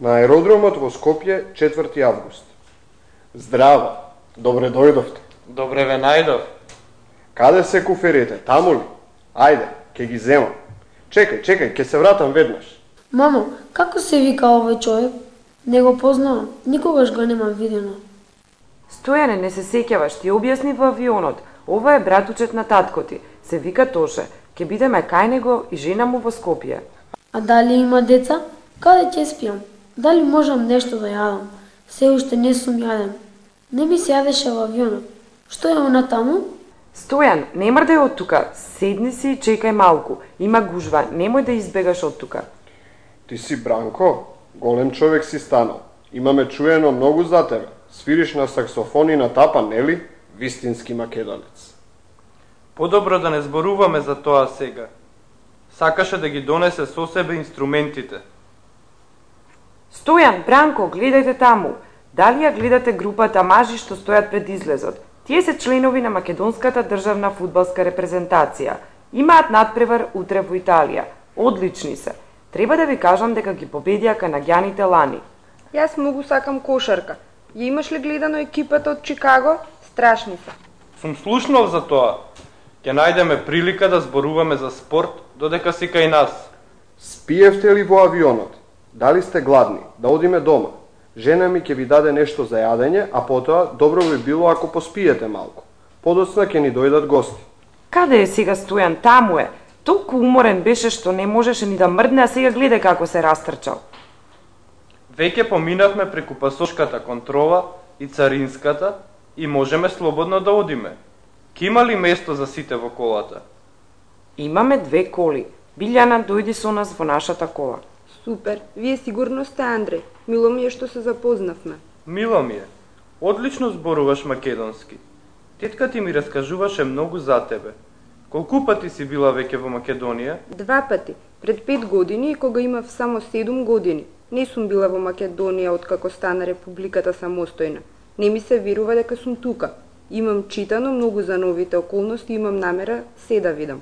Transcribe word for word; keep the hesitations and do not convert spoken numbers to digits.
На аеродромот во Скопје, четврти август. Здраво, добре дојдовте. Добре ве најдов. Каде се куферите, таму ли? Ајде, ќе ги земам. Чекај, чекај, ќе се вратам веднаш. Мамо, како се вика овој човек? Не го познавам, никогаш го немам видено. Стојане, не се сеќаваш, ти објасни во авионот. Ова е братучет на татко ти, се вика Тоше. Ќе бидеме кај него и жена му во Скопје. А дали има деца? Каде ќе спијам? Дали можам нешто да јадам? Се уште не сум јаден. Не ми се јадеше во авионот. Што е она таму? Стојан, не мрдај од тука. Седни си и чекај малку. Има гужва, немој да избегаш од тука. Ти си Бранко? Голем човек си станал. Имаме чуено многу за тебе. Свириш на саксофон и на тапа, нели? Вистински македонец. Подобро да не зборуваме за тоа сега. Сакаше да ги донесе со себе инструментите. Стојан, Бранко, гледајте таму. Дали ја гледате групата мажи што стојат пред излезот? Тие се членови на македонската државна фудбалска репрезентација. Имаат надпревар утре во Италија. Одлични се. Треба да ви кажам дека ги победија канаѓаните лани. Јас многу сакам кошарка. Ја имаш ли гледано екипата од Чикаго? Страшни се. Сум слушнал за тоа. Ќе најдеме прилика да зборуваме за спорт, додека си кај нас. Спиевте ли во авионот? Дали сте гладни? Да одиме дома. Жена ми ќе ви даде нешто за јадење, а потоа добро би било ако поспиете малку. Подоцна ќе ни дојдат гости. Каде е сега Стојан? Таму е. Толку уморен беше што не можеше ни да мрдне, а сега гледај како се растрчал. Веќе поминавме преку пасошката контрола и царинската и можеме слободно да одиме. Ке има ли место за сите во колата? Имаме две коли. Билјана, дојди со нас во нашата кола. Супер. Вие сигурно сте Андреј. Мило ми е што се запознавме. Мило ми е. Одлично зборуваш македонски. Тетка ти ми раскажуваше многу за тебе. Колку пати си била веќе во Македонија? Два пати. Пред пет години и кога имав само седум години. Не сум била во Македонија откако стана Републиката самостојна. Не ми се верува дека сум тука. Имам читано многу за новите околности и имам намера се да видам.